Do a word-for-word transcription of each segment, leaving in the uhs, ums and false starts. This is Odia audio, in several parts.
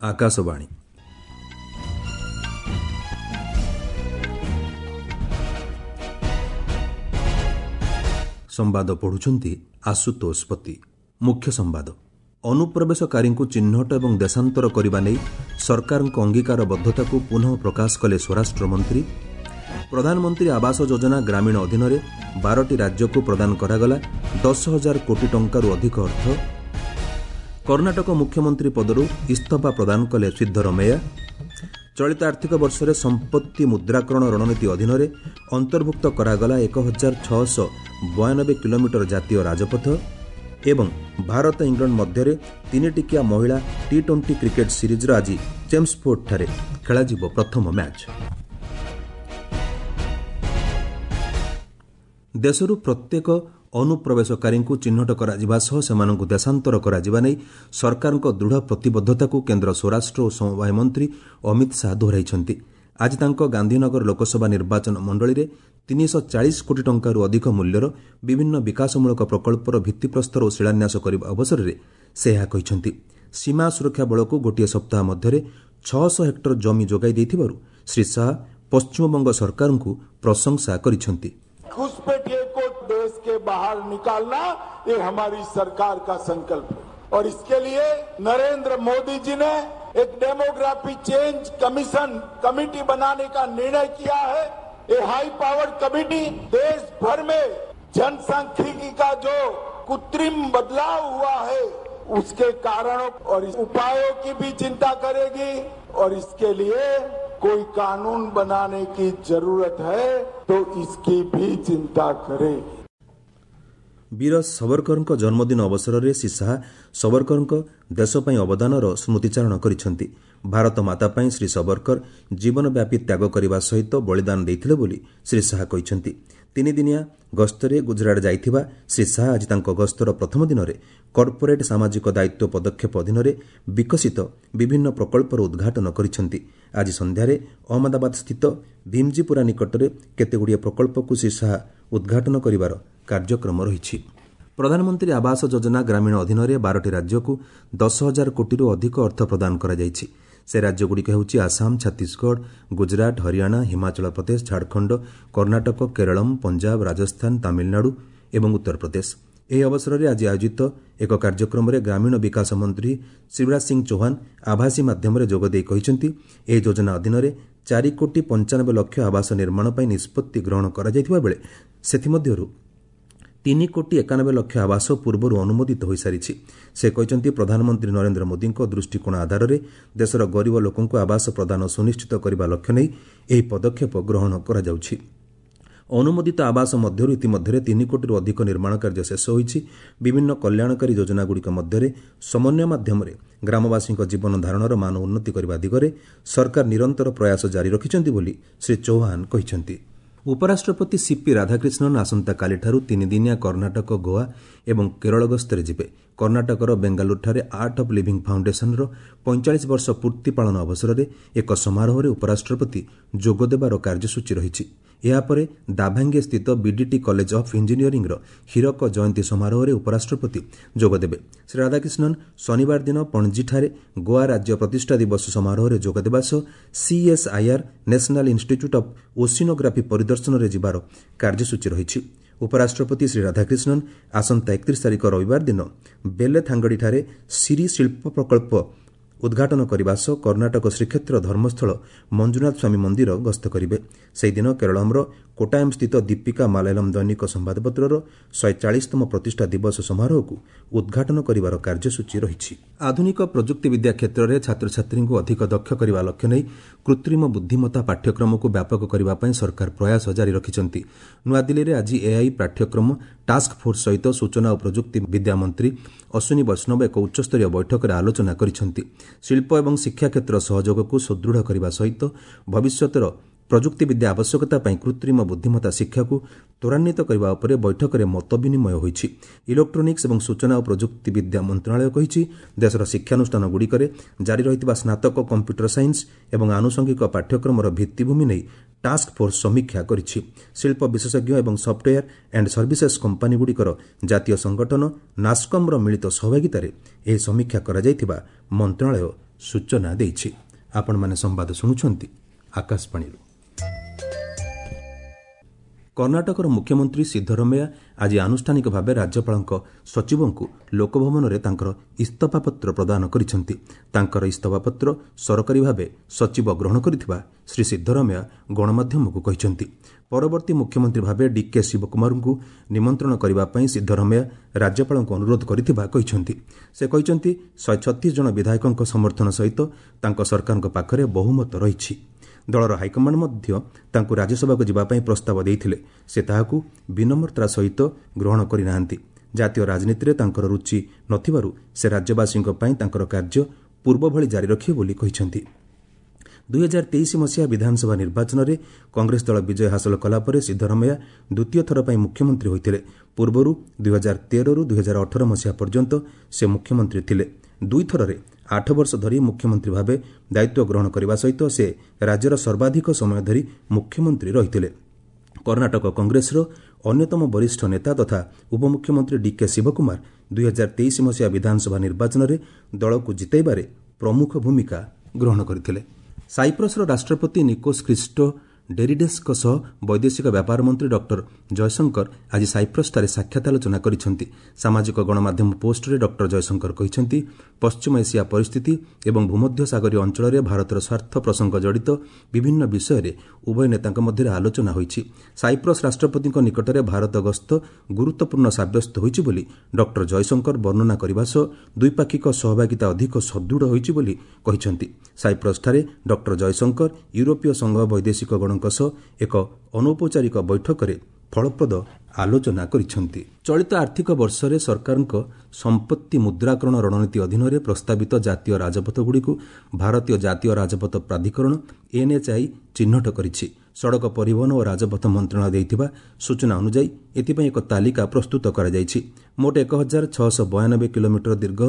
ଆକାଶବାଣୀ। ସମ୍ବାଦ ପଢ଼ୁଛନ୍ତି ଆଶୁତୋଷ ପତି। ମୁଖ୍ୟ ସମ୍ବାଦ। ଅନୁପ୍ରବେଶକାରୀଙ୍କୁ ଚିହ୍ନଟ ଏବଂ ଦେଶାନ୍ତର କରିବା ନେଇ ସରକାରଙ୍କ ଅଙ୍ଗୀକାରବଦ୍ଧତାକୁ ପୁନଃ ପ୍ରକାଶ କଲେ ସ୍ୱରାଷ୍ଟ୍ରମନ୍ତ୍ରୀ। ପ୍ରଧାନମନ୍ତ୍ରୀ ଆବାସ ଯୋଜନା ଗ୍ରାମୀଣ ଅଧୀନରେ ବାରଟି ରାଜ୍ୟକୁ ପ୍ରଦାନ କରାଗଲା ଦଶ ହଜାର କୋଟି ଟଙ୍କାରୁ ଅଧିକ ଅର୍ଥ। କର୍ଣ୍ଣାଟକ ମୁଖ୍ୟମନ୍ତ୍ରୀ ପଦରୁ ଇସ୍ତଫା ପ୍ରଦାନ କଲେ ସିଦ୍ଧରମେୟା। ଚଳିତ ଆର୍ଥିକ ବର୍ଷରେ ସମ୍ପତ୍ତି ମୁଦ୍ରାକରଣ ରଣନୀତି ଅଧୀନରେ ଅନ୍ତର୍ଭୁକ୍ତ କରାଗଲା ଏକ ହଜାର ଛଅଶହ ବୟାନବେ କିଲୋମିଟର ଜାତୀୟ ରାଜପଥ। ଏବଂ ଭାରତ ଇଂଲଣ୍ଡ ମଧ୍ୟରେ ତିନିଟିକିଆ ମହିଳା ଟି ଟ୍ୱେଣ୍ଟି କ୍ରିକେଟ୍ ସିରିଜ୍ର ଆଜି ଚେମ୍ସଫୋର୍ଡଠାରେ ଖେଳାଯିବ ପ୍ରଥମ ମ୍ୟାଚ୍। ଦେଶରୁ ପ୍ରତ୍ୟେକ ଅନୁପ୍ରବେଶକାରୀଙ୍କୁ ଚିହ୍ନଟ କରାଯିବା ସହ ସେମାନଙ୍କୁ ଦେଶାନ୍ତର କରାଯିବା ନେଇ ସରକାରଙ୍କ ଦୃଢ଼ ପ୍ରତିବଦ୍ଧତାକୁ କେନ୍ଦ୍ର ସ୍ୱରାଷ୍ଟ୍ର ଓ ସମବାୟ ମନ୍ତ୍ରୀ ଅମିତ ଶାହା ଦୋହରାଇଛନ୍ତି। ଆଜି ତାଙ୍କ ଗାନ୍ଧୀନଗର ଲୋକସଭା ନିର୍ବାଚନ ମଣ୍ଡଳୀରେ ତିନିଶହ ଚାଳିଶ କୋଟି ଟଙ୍କାରୁ ଅଧିକ ମୂଲ୍ୟର ବିଭିନ୍ନ ବିକାଶମୂଳକ ପ୍ରକଳ୍ପର ଭିତ୍ତିପ୍ରସ୍ତର ଓ ଶିଳାନ୍ୟାସ କରିବା ଅବସରରେ ସେ ଏହା କହିଛନ୍ତି। ସୀମା ସୁରକ୍ଷା ବଳକୁ ଗୋଟିଏ ସପ୍ତାହ ମଧ୍ୟରେ ଛଅଶହ ହେକ୍ଟର ଜମି ଯୋଗାଇ ଦେଇଥିବାରୁ ଶ୍ରୀ ଶାହା ପଶ୍ଚିମବଙ୍ଗ ସରକାରଙ୍କୁ ପ୍ରଶଂସା କରିଛନ୍ତି। घुसपैठिए को देश के बाहर निकालना ये हमारी सरकार का संकल्प है और इसके लिए नरेंद्र मोदी जी ने एक डेमोग्राफी चेंज कमीशन कमेटी बनाने का निर्णय किया है। ये हाई पावर कमेटी देश भर में जनसांख्यिकी का जो कृत्रिम बदलाव हुआ है उसके कारणों और उपायों की भी चिंता करेगी और इसके लिए कोई कानून बनाने की जरूरत है तो इसकी भी चिंता करेगी। ବୀର ସବରକରଙ୍କ ଜନ୍ମଦିନ ଅବସରରେ ଶ୍ରୀ ଶାହା ସବରକରଙ୍କ ଦେଶ ପାଇଁ ଅବଦାନର ସ୍ମୃତିଚାରଣ କରିଛନ୍ତି। ଭାରତ ମାତା ପାଇଁ ଶ୍ରୀ ସବରକର ଜୀବନବ୍ୟାପୀ ତ୍ୟାଗ କରିବା ସହିତ ବଳିଦାନ ଦେଇଥିଲେ ବୋଲି ଶ୍ରୀ ଶାହା କହିଛନ୍ତି। ତିନିଦିନିଆ ଗସ୍ତରେ ଗୁଜରାଟ ଯାଇଥିବା ଶ୍ରୀ ଶାହା ଆଜି ତାଙ୍କ ଗସ୍ତର ପ୍ରଥମ ଦିନରେ କର୍ପୋରେଟ୍ ସାମାଜିକ ଦାୟିତ୍ୱ ପଦକ୍ଷେପ ଅଧୀନରେ ବିକଶିତ ବିଭିନ୍ନ ପ୍ରକଳ୍ପର ଉଦ୍ଘାଟନ କରିଛନ୍ତି। ଆଜି ସନ୍ଧ୍ୟାରେ ଅହମ୍ମଦାବାଦସ୍ଥିତ ଭୀମଜୀପୁରା ନିକଟରେ କେତେଗୁଡ଼ିଏ ପ୍ରକଳ୍ପକୁ ଶ୍ରୀ ଶାହା ଉଦ୍ଘାଟନ କରିବାର କାର୍ଯ୍ୟକ୍ରମ ରହିଛି। ପ୍ରଧାନମନ୍ତ୍ରୀ ଆବାସ ଯୋଜନା ଗ୍ରାମୀଣ ଅଧୀନରେ ବାରଟି ରାଜ୍ୟକୁ ଦଶ ହଜାର କୋଟିରୁ ଅଧିକ ଅର୍ଥ ପ୍ରଦାନ କରାଯାଇଛି। ସେ ରାଜ୍ୟଗୁଡ଼ିକ ହେଉଛି ଆସାମ, ଛତିଶଗଡ଼, ଗୁଜରାଟ, ହରିୟାଣା, ହିମାଚଳ ପ୍ରଦେଶ, ଝାଡ଼ଖଣ୍ଡ, କର୍ଣ୍ଣାଟକ, କେରଳମ୍, ପଞ୍ଜାବ, ରାଜସ୍ଥାନ, ତାମିଲନାଡୁ ଏବଂ ଉତ୍ତରପ୍ରଦେଶ। ଏହି ଅବସରରେ ଆଜି ଆୟୋଜିତ ଏକ କାର୍ଯ୍ୟକ୍ରମରେ ଗ୍ରାମୀଣ ବିକାଶ ମନ୍ତ୍ରୀ ଶିବରାଜ ସିଂ ଚୌହାନ ଆଭାସୀ ମାଧ୍ୟମରେ ଯୋଗଦେଇ କହିଛନ୍ତି, ଏହି ଯୋଜନା ଅଧୀନରେ ଚାରି କୋଟି ପଞ୍ଚାନବେ ଲକ୍ଷ ଆବାସ ନିର୍ମାଣ ପାଇଁ ନିଷ୍ପତ୍ତି ଗ୍ରହଣ କରାଯାଇଥିବା ବେଳେ ସେଥିମଧ୍ୟରୁ ତିନି କୋଟି ଏକାନବେ ଲକ୍ଷ ଆବାସ ପୂର୍ବରୁ ଅନୁମୋଦିତ ହୋଇସାରିଛି। ସେ କହିଛନ୍ତି, ପ୍ରଧାନମନ୍ତ୍ରୀ ନରେନ୍ଦ୍ର ମୋଦିଙ୍କ ଦୃଷ୍ଟିକୋଣ ଆଧାରରେ ଦେଶର ଗରିବ ଲୋକଙ୍କୁ ଆବାସ ପ୍ରଦାନ ସୁନିଶ୍ଚିତ କରିବା ଲକ୍ଷ୍ୟ ନେଇ ଏହି ପଦକ୍ଷେପ ଗ୍ରହଣ କରାଯାଉଛି। ଅନୁମୋଦିତ ଆବାସ ମଧ୍ୟରୁ ଇତିମଧ୍ୟରେ ତିନି କୋଟିରୁ ଅଧିକ ନିର୍ମାଣ କାର୍ଯ୍ୟ ଶେଷ ହୋଇଛି। ବିଭିନ୍ନ କଲ୍ୟାଣକାରୀ ଯୋଜନାଗୁଡ଼ିକ ମଧ୍ୟରେ ସମନ୍ୱୟ ମାଧ୍ୟମରେ ଗ୍ରାମବାସୀଙ୍କ ଜୀବନ ଧାରଣର ମାନ ଉନ୍ନତି କରିବା ଦିଗରେ ସରକାର ନିରନ୍ତର ପ୍ରୟାସ ଜାରି ରଖିଛନ୍ତି ବୋଲି ଶ୍ରୀ ଚୌହାନ କହିଛନ୍ତି। ଉପରାଷ୍ଟ୍ରପତି ସିପି ରାଧାକ୍ରିଷ୍ଣନ୍ ଆସନ୍ତାକାଲିଠାରୁ ତିନିଦିନିଆ କର୍ଣ୍ଣାଟକ, ଗୋଆ ଏବଂ କେରଳ ଗସ୍ତରେ ଯିବେ। କର୍ଣ୍ଣାଟକର ବେଙ୍ଗାଲୁରୁଠାରେ ଆର୍ଟ ଅଫ୍ ଲିଭିଂ ଫାଉଣ୍ଡେସନର ପଇଁଚାଳିଶ ବର୍ଷ ପୂର୍ତ୍ତି ପାଳନ ଅବସରରେ ଏକ ସମାରୋହରେ ଉପରାଷ୍ଟ୍ରପତି ଯୋଗଦେବାର କାର୍ଯ୍ୟସୂଚୀ ରହିଛି। ଏହାପରେ ଦାଭାଙ୍ଗେ ସ୍ଥିତ ବିଡିଟି କଲେଜ ଅଫ୍ ଇଞ୍ଜିନିୟରିଂର ହୀରକ ଜୟନ୍ତୀ ସମାରୋହରେ ଉପରାଷ୍ଟ୍ରପତି ଯୋଗଦେବେ। ଶ୍ରୀ ରାଧାକ୍ରିଷ୍ଣନ୍ ଶନିବାର ଦିନ ପଣଜୀଠାରେ ଗୋଆ ରାଜ୍ୟ ପ୍ରତିଷ୍ଠା ଦିବସ ସମାରୋହରେ ଯୋଗଦେବା ସହ CSIR national institute of oceanography ପରିଦର୍ଶନରେ ଯିବାର କାର୍ଯ୍ୟସୂଚୀ ରହିଛି। ଉପରାଷ୍ଟ୍ରପତି ଶ୍ରୀ ରାଧାକ୍ରିଷ୍ଣନ୍ ଆସନ୍ତା ଏକତିରିଶ ତାରିଖ ରବିବାର ଦିନ ବେଲେଥାଙ୍ଗଡ଼ିଠାରେ ସିରି ଶିଳ୍ପ ପ୍ରକଳ୍ପ ଉଦ୍ଘାଟନ କରିବା ସହ କର୍ଣ୍ଣାଟକ ଶ୍ରୀକ୍ଷେତ୍ର ଧର୍ମସ୍ଥଳ ମଞ୍ଜୁନାଥ ସ୍ୱାମୀ ମନ୍ଦିର ଗସ୍ତ କରିବେ। ସେହିଦିନ କେରଳମ୍ର କୋଟାୟମ୍ ସ୍ଥିତ ଦୀପିକା ମାଲାୟାଲମ୍ ଦୈନିକ ସମ୍ବାଦପତ୍ରର ଶହେ ଚାଳିଶତମ ପ୍ରତିଷ୍ଠା ଦିବସ ସମାରୋହକୁ ଉଦ୍ଘାଟନ କରିବାର କାର୍ଯ୍ୟସୂଚୀ ରହିଛି। ଆଧୁନିକ ପ୍ରଯୁକ୍ତିବିଦ୍ୟା କ୍ଷେତ୍ରରେ ଛାତ୍ରଛାତ୍ରୀଙ୍କୁ ଅଧିକ ଦକ୍ଷ କରିବା ଲକ୍ଷ୍ୟ ନେଇ କୃତ୍ରିମ ବୁଦ୍ଧିମତ୍ତା ପାଠ୍ୟକ୍ରମକୁ ବ୍ୟାପକ କରିବା ପାଇଁ ସରକାର ପ୍ରୟାସ ଜାରି ରଖିଛନ୍ତି। ନୂଆଦିଲ୍ଲୀରେ ଆଜି ଏଆଇ ପାଠ୍ୟକ୍ରମ ଟାସ୍କ ଫୋର୍ସ ସହିତ ସୂଚନା ଓ ପ୍ରଯୁକ୍ତି ବିଦ୍ୟା ମନ୍ତ୍ରୀ ଅଶ୍ୱିନୀ ବୈଷ୍ଣବ ଏକ ଉଚ୍ଚସ୍ତରୀୟ ବୈଠକରେ ଆଲୋଚନା କରିଛନ୍ତି। ଶିଳ୍ପ ଏବଂ ଶିକ୍ଷା କ୍ଷେତ୍ର ସହଯୋଗକୁ ସୁଦୃଢ଼ କରିବା ସହିତ ଭବିଷ୍ୟତର ପ୍ରଯୁକ୍ତିବିଦ୍ୟା ଆବଶ୍ୟକତା ପାଇଁ କୃତ୍ରିମ ବୁଦ୍ଧିମତ୍ତା ଶିକ୍ଷାକୁ ତ୍ୱରାନ୍ୱିତ କରିବା ଉପରେ ବୈଠକରେ ମତ ବିନିମୟ ହୋଇଛି। ଇଲେକ୍ଟ୍ରୋନିକ୍ସ ଏବଂ ସୂଚନା ଓ ପ୍ରଯୁକ୍ତିବିଦ୍ୟା ମନ୍ତ୍ରଣାଳୟ କହିଛି, ଦେଶର ଶିକ୍ଷାନୁଷ୍ଠାନଗୁଡ଼ିକରେ ଜାରି ରହିଥିବା ସ୍ନାତକ କମ୍ପ୍ୟୁଟର ସାଇନ୍ସ ଏବଂ ଆନୁଷଙ୍ଗିକ ପାଠ୍ୟକ୍ରମର ଭିତ୍ତିଭୂମି ନେଇ ଟାସ୍କ ଫୋର୍ସ ସମୀକ୍ଷା କରିଛି। ଶିଳ୍ପ ବିଶେଷଜ୍ଞ ଏବଂ ସଫ୍ଟୱେୟାର ଆଣ୍ଡ ସର୍ଭିସେସ୍ କମ୍ପାନୀଗୁଡ଼ିକର ଜାତୀୟ ସଂଗଠନ ନାସ୍କମ୍ର ମିଳିତ ସହଭାଗିତାରେ ଏହି ସମୀକ୍ଷା କରାଯାଇଥିବା ମନ୍ତ୍ରଣାଳୟ ସୂଚନା ଦେଇଛି। ଆପଣମାନେ ସମ୍ବାଦ ଶୁଣୁଛନ୍ତି ଆକାଶବାଣୀରୁ। କର୍ଣ୍ଣାଟକର ମୁଖ୍ୟମନ୍ତ୍ରୀ ସିଦ୍ଧରମେୟା ଆଜି ଆନୁଷ୍ଠାନିକ ଭାବେ ରାଜ୍ୟପାଳଙ୍କ ସଚିବଙ୍କୁ ଲୋକଭବନରେ ତାଙ୍କର ଇସ୍ତଫାପତ୍ର ପ୍ରଦାନ କରିଛନ୍ତି। ତାଙ୍କର ଇସ୍ତଫାପତ୍ର ସରକାରୀ ଭାବେ ସଚିବ ଗ୍ରହଣ କରିଥିବା ଶ୍ରୀ ସିଦ୍ଧରମେୟା ଗଣମାଧ୍ୟମକୁ କହିଛନ୍ତି। ପରବର୍ତ୍ତୀ ମୁଖ୍ୟମନ୍ତ୍ରୀ ଭାବେ ଡିକେ ଶିବକୁମାରଙ୍କୁ ନିମନ୍ତ୍ରଣ କରିବା ପାଇଁ ସିଦ୍ଧରମେୟା ରାଜ୍ୟପାଳଙ୍କୁ ଅନୁରୋଧ କରିଥିବା କହିଛନ୍ତି। ସେ କହିଛନ୍ତି, ଶହେ ଛତିଶ ଜଣ ବିଧାୟକଙ୍କ ସମର୍ଥନ ସହିତ ତାଙ୍କ ସରକାରଙ୍କ ପାଖରେ ବହୁମତ ରହିଛି। ଦଳର ହାଇକମାଣ୍ଡ ମଧ୍ୟ ତାଙ୍କୁ ରାଜ୍ୟସଭାକୁ ଯିବା ପାଇଁ ପ୍ରସ୍ତାବ ଦେଇଥିଲେ। ସେ ତାହାକୁ ବିନମ୍ରତାର ସହିତ ଗ୍ରହଣ କରିନାହାନ୍ତି। ଜାତୀୟ ରାଜନୀତିରେ ତାଙ୍କର ରୁଚି ନଥିବାରୁ ସେ ରାଜ୍ୟବାସୀଙ୍କ ପାଇଁ ତାଙ୍କର କାର୍ଯ୍ୟ ପୂର୍ବଭଳି ଜାରି ରଖିବେ ବୋଲି କହିଛନ୍ତି। ଦୁଇହଜାର ତେଇଶ ମସିହା ବିଧାନସଭା ନିର୍ବାଚନରେ କଂଗ୍ରେସ ଦଳ ବିଜୟ ହାସଲ କଲା ପରେ ସିଦ୍ଧରମେୟା ଦ୍ୱିତୀୟ ଥର ପାଇଁ ମୁଖ୍ୟମନ୍ତ୍ରୀ ହୋଇଥିଲେ। ପୂର୍ବରୁ ଦୁଇହଜାର ତେରରୁ ଦୁଇହଜାର ଅଠର ମସିହା ପର୍ଯ୍ୟନ୍ତ ସେ ମୁଖ୍ୟମନ୍ତ୍ରୀ ଥିଲେ। ଦୁଇଥରରେ ଆଠ ବର୍ଷ ଧରି ମୁଖ୍ୟମନ୍ତ୍ରୀ ଭାବେ ଦାୟିତ୍ୱ ଗ୍ରହଣ କରିବା ସହିତ ସେ ରାଜ୍ୟର ସର୍ବାଧିକ ସମୟ ଧରି ମୁଖ୍ୟମନ୍ତ୍ରୀ ରହିଥିଲେ। କର୍ଣ୍ଣାଟକ କଂଗ୍ରେସର ଅନ୍ୟତମ ବରିଷ୍ଠ ନେତା ତଥା ଉପମୁଖ୍ୟମନ୍ତ୍ରୀ ଡିକେ ଶିବକୁମାର ଦୁଇହଜାର ତେଇଶ ମସିହା ବିଧାନସଭା ନିର୍ବାଚନରେ ଦଳକୁ ଜିତାଇବାରେ ପ୍ରମୁଖ ଭୂମିକା ଗ୍ରହଣ କରିଥିଲେ। ସାଇପ୍ରସର ରାଷ୍ଟ୍ରପତି ନିକୋସ୍ ଖ୍ରୀଷ୍ଟୋ ଡେରିଡେସ୍ଙ୍କ ସହ ବୈଦେଶିକ ବ୍ୟାପାର ମନ୍ତ୍ରୀ ଡକ୍ଟର ଜୟଶଙ୍କର ଆଜି ସାଇପ୍ରସଠାରେ ସାକ୍ଷାତ ଆଲୋଚନା କରିଛନ୍ତି। ସାମାଜିକ ଗଣମାଧ୍ୟମ ପୋଷ୍ଟରେ ଡକ୍ଟର ଜୟଶଙ୍କର କହିଛନ୍ତି, ପଶ୍ଚିମ ଏସିଆ ପରିସ୍ଥିତି ଏବଂ ଭୂମଧ୍ୟସାଗରୀୟ ଅଞ୍ଚଳରେ ଭାରତର ସ୍ୱାର୍ଥ ପ୍ରସଙ୍ଗ ଜଡ଼ିତ ବିଭିନ୍ନ ବିଷୟରେ ଉଭୟ ନେତାଙ୍କ ମଧ୍ୟରେ ଆଲୋଚନା ହୋଇଛି। ସାଇପ୍ରସ ରାଷ୍ଟ୍ରପତିଙ୍କ ନିକଟରେ ଭାରତ ଗସ୍ତ ଗୁରୁତ୍ୱପୂର୍ଣ୍ଣ ସାବ୍ୟସ୍ତ ହୋଇଛି ବୋଲି ଡକ୍ଟର ଜୟଶଙ୍କର ବର୍ଣ୍ଣନା କରିବା ସହ ଦ୍ୱିପାକ୍ଷିକ ସହଭାଗିତା ଅଧିକ ସୁଦୃଢ଼ ହୋଇଛି ବୋଲି କହିଛନ୍ତି। ସାଇପ୍ରସଠାରେ ଡକ୍ଟର ଜୟଶଙ୍କର ୟୁରୋପୀୟ ସଂଘ ବୈଦେଶିକ ଗଣଙ୍କ ସହ ଏକ ଅନୌପଚାରିକ ବୈଠକରେ ଫଳପ୍ରଦ ଆଲୋଚନା କରିଛନ୍ତି। ଚଳିତ ଆର୍ଥିକ ବର୍ଷରେ ସରକାରଙ୍କ ସମ୍ପତ୍ତି ମୁଦ୍ରାକରଣ ରଣନୀତି ଅଧୀନରେ ପ୍ରସ୍ତାବିତ ଜାତୀୟ ରାଜପଥଗୁଡ଼ିକୁ ଭାରତୀୟ ଜାତୀୟ ରାଜପଥ ପ୍ରାଧିକରଣ ଏନ୍ଏଚ୍ଆଇ ଚିହ୍ନଟ କରିଛି। ସଡ଼କ ପରିବହନ ଓ ରାଜପଥ ମନ୍ତ୍ରଣାଳୟ ଦେଇଥିବା ସୂଚନା ଅନୁଯାୟୀ ଏଥିପାଇଁ ଏକ ତାଲିକା ପ୍ରସ୍ତୁତ କରାଯାଇଛି। ମୋଟ ଏକ ହଜାର ଛଅଶହ ବୟାନବେ କିଲୋମିଟର ଦୀର୍ଘ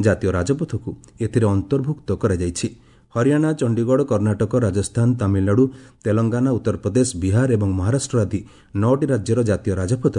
ଜାତୀୟ ରାଜପଥକୁ ଏଥିରେ ଅନ୍ତର୍ଭୁକ୍ତ କରାଯାଇଛି। ହରିୟାଣା, ଚଣ୍ଡିଗଡ଼, କର୍ଣ୍ଣାଟକ, ରାଜସ୍ଥାନ, ତାମିଲନାଡୁ, ତେଲଙ୍ଗାନା, ଉତ୍ତରପ୍ରଦେଶ, ବିହାର ଏବଂ ମହାରାଷ୍ଟ୍ର ଆଦି ନଅଟି ରାଜ୍ୟର ଜାତୀୟ ରାଜପଥ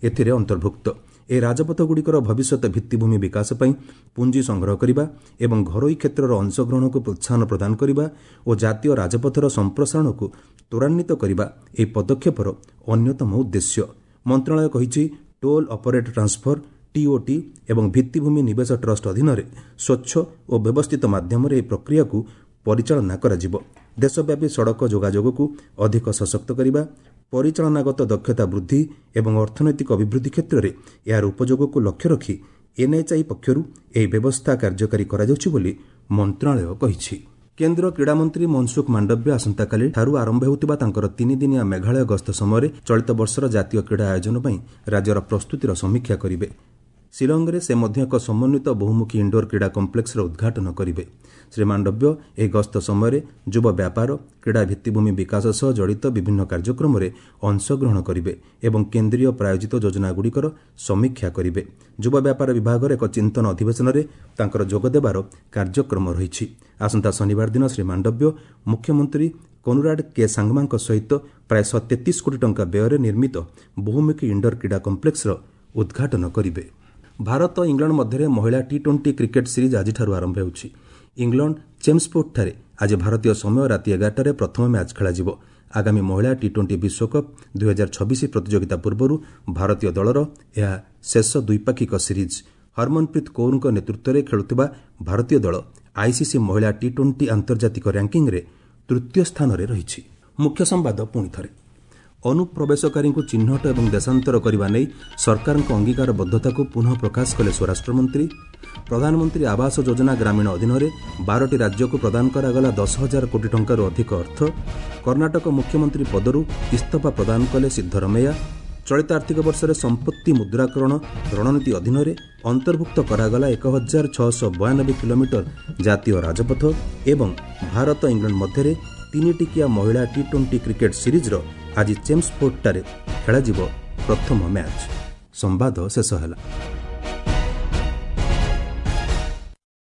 ଏଥିରେ ଅନ୍ତର୍ଭୁକ୍ତ। ଏହି ରାଜପଥଗୁଡ଼ିକର ଭବିଷ୍ୟତ ଭିତ୍ତିଭୂମି ବିକାଶ ପାଇଁ ପୁଞ୍ଜି ସଂଗ୍ରହ କରିବା ଏବଂ ଘରୋଇ କ୍ଷେତ୍ରର ଅଂଶଗ୍ରହଣକୁ ପ୍ରୋତ୍ସାହନ ପ୍ରଦାନ କରିବା ଓ ଜାତୀୟ ରାଜପଥର ସମ୍ପ୍ରସାରଣକୁ ତ୍ୱରାନ୍ୱିତ କରିବା ଏହି ପଦକ୍ଷେପର ଅନ୍ୟତମ ଉଦ୍ଦେଶ୍ୟ। ମନ୍ତ୍ରଣାଳୟ କହିଛି, ଟୋଲ୍ ଅପରେଟ୍ ଟ୍ରାନ୍ସଫର ଟିଓଟି ଏବଂ ଭିତ୍ତିଭୂମି ନିବେଶ ଟ୍ରଷ୍ଟ ଅଧୀନରେ ସ୍ୱଚ୍ଛ ଓ ବ୍ୟବସ୍ଥିତ ମାଧ୍ୟମରେ ଏହି ପ୍ରକ୍ରିୟାକୁ ପରିଚାଳନା କରାଯିବ। ଦେଶବ୍ୟାପୀ ସଡ଼କ ଯୋଗାଯୋଗକୁ ଅଧିକ ସଶକ୍ତ କରିବା, ପରିଚାଳନାଗତ ଦକ୍ଷତା ବୃଦ୍ଧି ଏବଂ ଅର୍ଥନୈତିକ ଅଭିବୃଦ୍ଧି କ୍ଷେତ୍ରରେ ଏହାର ଉପଯୋଗକୁ ଲକ୍ଷ୍ୟ ରଖି ଏନ୍ଏଚ୍ଆଇ ପକ୍ଷରୁ ଏହି ବ୍ୟବସ୍ଥା କାର୍ଯ୍ୟକାରୀ କରାଯାଉଛି ବୋଲି ମନ୍ତ୍ରଣାଳୟ କହିଛି। କେନ୍ଦ୍ର କ୍ରୀଡ଼ାମନ୍ତ୍ରୀ ମନସୁଖ ମାଣ୍ଡବ୍ୟ ଆସନ୍ତାକାଲି ଠାରୁ ଆରମ୍ଭ ହେଉଥିବା ତାଙ୍କର ତିନିଦିନିଆ ମେଘାଳୟ ଗସ୍ତ ସମୟରେ ଚଳିତ ବର୍ଷର ଜାତୀୟ କ୍ରୀଡ଼ା ଆୟୋଜନ ପାଇଁ ରାଜ୍ୟର ପ୍ରସ୍ତୁତିର ସମୀକ୍ଷା କରିବେ। ଶିଲଂରେ ସେ ମଧ୍ୟ ଏକ ସମନ୍ୱିତ ବହୁମୁଖୀ ଇଣ୍ଡୋର କ୍ରୀଡ଼ା କମ୍ପ୍ଲେକ୍ସର ଉଦ୍ଘାଟନ କରିବେ। ଶ୍ରୀ ମାଣ୍ଡବ୍ୟ ଏହି ଗସ୍ତ ସମୟରେ ଯୁବ ବ୍ୟାପାର, କ୍ରୀଡ଼ା ଭିତ୍ତିଭୂମି ବିକାଶ ସହ ଜଡ଼ିତ ବିଭିନ୍ନ କାର୍ଯ୍ୟକ୍ରମରେ ଅଂଶଗ୍ରହଣ କରିବେ ଏବଂ କେନ୍ଦ୍ରୀୟ ପ୍ରାୟୋଜିତ ଯୋଜନାଗୁଡ଼ିକର ସମୀକ୍ଷା କରିବେ। ଯୁବ ବ୍ୟାପାର ବିଭାଗର ଏକ ଚିନ୍ତନ ଅଧିବେଶନରେ ତାଙ୍କର ଯୋଗଦେବାର କାର୍ଯ୍ୟକ୍ରମ ରହିଛି। ଆସନ୍ତା ଶନିବାର ଦିନ ଶ୍ରୀ ମାଣ୍ଡବ୍ୟ ମୁଖ୍ୟମନ୍ତ୍ରୀ କନୁରାଡ୍ କେ ସାଙ୍ଗମାଙ୍କ ସହିତ ପ୍ରାୟ ଶହେ ତେତିଶ କୋଟି ଟଙ୍କା ବ୍ୟୟରେ ନିର୍ମିତ ବହୁମୁଖୀ ଇଣ୍ଡୋର କ୍ରୀଡ଼ା କମ୍ପ୍ଲେକ୍ସର ଉଦ୍ଘାଟନ କରିବେ। ଭାରତ ଇଂଲଣ୍ଡ ମଧ୍ୟରେ ମହିଳା ଟି ଟ୍ୱେଣ୍ଟି କ୍ରିକେଟ୍ ସିରିଜ୍ ଆଜିଠାରୁ ଆରମ୍ଭ ହେଉଛି। ଇଂଲଣ୍ଡ ଚେମ୍ସଫୋର୍ଡଠାରେ ଆଜି ଭାରତୀୟ ସମୟ ରାତି ଏଗାରଟାରେ ପ୍ରଥମ ମ୍ୟାଚ୍ ଖେଳାଯିବ। ଆଗାମୀ ମହିଳା ଟି ଟ୍ୱେଣ୍ଟି ବିଶ୍ୱକପ୍ ଦୁଇହଜାର ଛବିଶ ପ୍ରତିଯୋଗିତା ପୂର୍ବରୁ ଭାରତୀୟ ଦଳର ଏହା ଶେଷ ଦ୍ୱିପାକ୍ଷିକ ସିରିଜ୍। ହରମନପ୍ରୀତ କୌରଙ୍କ ନେତୃତ୍ୱରେ ଖେଳୁଥିବା ଭାରତୀୟ ଦଳ ଆଇସିସି ମହିଳା ଟି ଟ୍ୱେଣ୍ଟି ଆନ୍ତର୍ଜାତିକ ର୍ୟାଙ୍କିଙ୍ଗ୍ରେ ତୃତୀୟ ସ୍ଥାନରେ ରହିଛି। ମୁଖ୍ୟ ସମ୍ବାଦ ପୁଣି ଥରେ। ଅନୁପ୍ରବେଶକାରୀଙ୍କୁ ଚିହ୍ନଟ ଏବଂ ଦେଶାନ୍ତର କରିବା ନେଇ ସରକାରଙ୍କ ଅଙ୍ଗୀକାରବଦ୍ଧତାକୁ ପୁନଃ ପ୍ରକାଶ କଲେ ସ୍ୱରାଷ୍ଟ୍ରମନ୍ତ୍ରୀ। ପ୍ରଧାନମନ୍ତ୍ରୀ ଆବାସ ଯୋଜନା ଗ୍ରାମୀଣ ଅଧୀନରେ ବାରଟି ରାଜ୍ୟକୁ ପ୍ରଦାନ କରାଗଲା ଦଶ ହଜାର କୋଟି ଟଙ୍କାରୁ ଅଧିକ ଅର୍ଥ। କର୍ଣ୍ଣାଟକ ମୁଖ୍ୟମନ୍ତ୍ରୀ ପଦରୁ ଇସ୍ତଫା ପ୍ରଦାନ କଲେ ସିଦ୍ଧରମେୟା। ଚଳିତ ଆର୍ଥିକ ବର୍ଷରେ ସମ୍ପତ୍ତି ମୁଦ୍ରାକରଣ ରଣନୀତି ଅଧୀନରେ ଅନ୍ତର୍ଭୁକ୍ତ କରାଗଲା ଏକ ହଜାର ଛଅଶହ ବୟାନବେ କିଲୋମିଟର ଜାତୀୟ ରାଜପଥ ଏବଂ ଭାରତ ଇଂଲଣ୍ଡ ମଧ୍ୟରେ ତିନିଟିକିଆ ମହିଳା ଟି ଟ୍ୱେଣ୍ଟି କ୍ରିକେଟ୍ ସିରିଜ୍ର ଆଜି ଚେମ୍ସଫୋର୍ଡଠାରେ ଖେଳାଯିବ ପ୍ରଥମ ମ୍ୟାଚ୍। ସମ୍ବାଦ ଶେଷ ହେଲା।